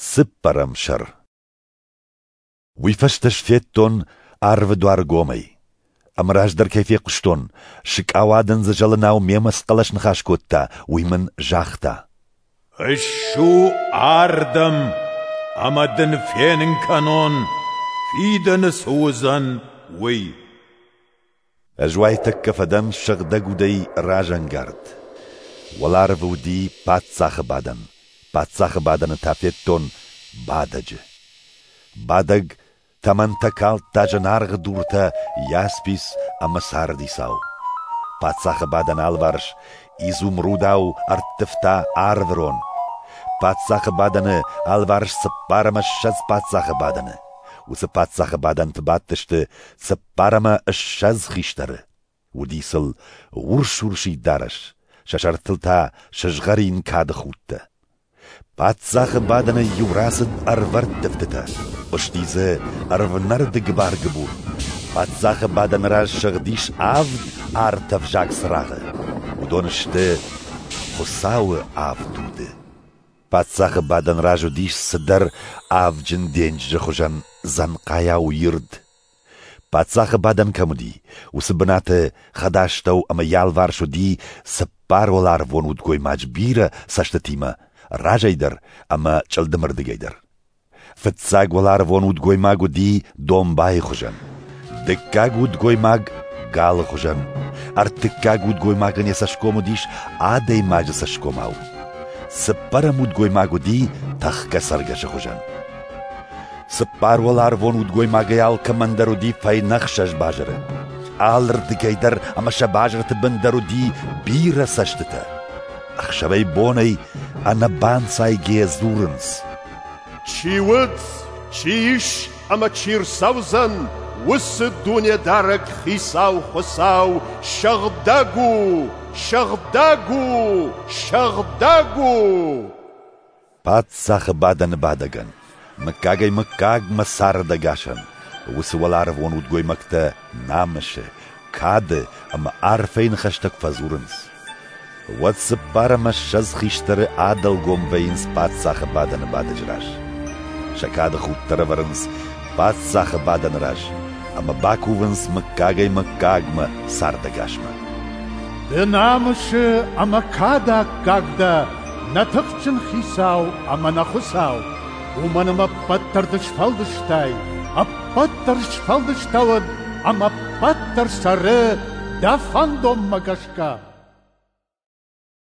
Цыппӕрӕм сӕр. Уый фӕстӕ ӕз федтон арвы дуар гомӕй. Ӕмӕ раздӕр кӕй фехъуыстон, сыкъауадындзы зӕлынау мемӕ цы хъӕлӕс ныхас кодта, уый мын загъта: «Ссу ардӕм, ӕмӕ дын фенын кӕнон, фидӕны цы уыдзӕн, уый». Ӕз уайтӕккӕ фӕдӕн Сыгъдӕг Удӕй разӕнгард. Уӕларвы уыди паддзахы бадӕн, паддзахы бадӕны та федтон Бадӕджы. Бадӕг тӕмӕнтӕ калдта зынаргъ дуртӕ яспис ӕмӕ сардисау. Паддзахы бадӕны алыварс изумрудау ӕрттывта арвырон. Паддзахы бадӕны алыварс 24 паддзахы бадӕны. Уыцы паддзахы бадӕнты бадтысты 24 хистӕры. Уыди сыл урс-урсид дарӕс, сӕ сӕртыл та сызгъӕрин кады худтӕ. Паддзахы бадӕнӕй иу рацыд ӕрвӕрттывтытӕ, хъуысти дзы ӕрвнӕрды гыбар-гыбур. Паддзахы бадӕны раз сыгъдис авд артӕвзаг цырагъы. Уыдон сты Хуыцауы авд уды. Паддзахы бадӕн раз уыдис цыдӕр авджын денджызы хуызӕн дзӕнхъайау ирд. Паддзахы бадӕн кӕм уыди, уыцы бынаты хӕдастӕу ӕмӕ йӕ алыварс уыди цыппар уӕларвон удгоймаджы бирӕ цӕстытимӕ, разӕй дӕр ӕмӕ чъылдымырдыгӕй дӕр. Фыццаг уӕларвон удгоймаг уыди домбайы хуызӕн, дыккаг удгоймаг галы хуызӕн, ӕртыккаг удгоймагӕн йӕ цӕсгом уыдис адӕймаджы цӕсгомау. Цыппӕрӕм удгоймаг уыди тӕхгӕ цӕргӕсы хуызӕн. Цыппар уӕларвон удгоймагӕй алкӕмӕн дӕр уыди фӕйнӕ 6 базыры. Алырдыгӕй дӕр ӕмӕ сӕ базырты бын дӕр уыди бирӕ цӕстытӕ. Ӕхсӕвӕй-бонӕй ӕнӕбанцайгӕ дзурынц: Чи уыд, чи ис ӕмӕ чи рцӕудзӕн, уыцы Дунедарӕг Хицау Хуыцау сыгъдӕг у, сыгъдӕг у, сыгъдӕг у! Паддзахы бадӕны бадӕгӕн, мыггагӕй-мыггагмӕ цардӕгасӕн, уыцы уӕларвон удгоймӕгтӕ намысы, кады ӕмӕ арфӕйы ныхӕстӕ куы фӕдзурынц, уӕд 24 хистӕры адӕлгом вӕййынц паддзахы бадӕны бадӕджы раз. Сӕ кады худтӕ ӕрӕвӕрынц паддзахы бадӕны раз ӕмӕ бакувынц мыггагӕй-мыггагмӕ цардӕгасмӕ. Ды намысы ӕмӕ кады аккаг дӕ, нӕ тыхджын Хицау ӕмӕ нӕ Хуыцау, уымӕн ӕмӕ ӕппӕт дӕр ды сфӕлдыстай, ӕппӕт дӕр сфӕлдыстӕуыд ӕмӕ ӕппӕт дӕр цӕры дӕ фӕндонмӕ гӕсгӕ.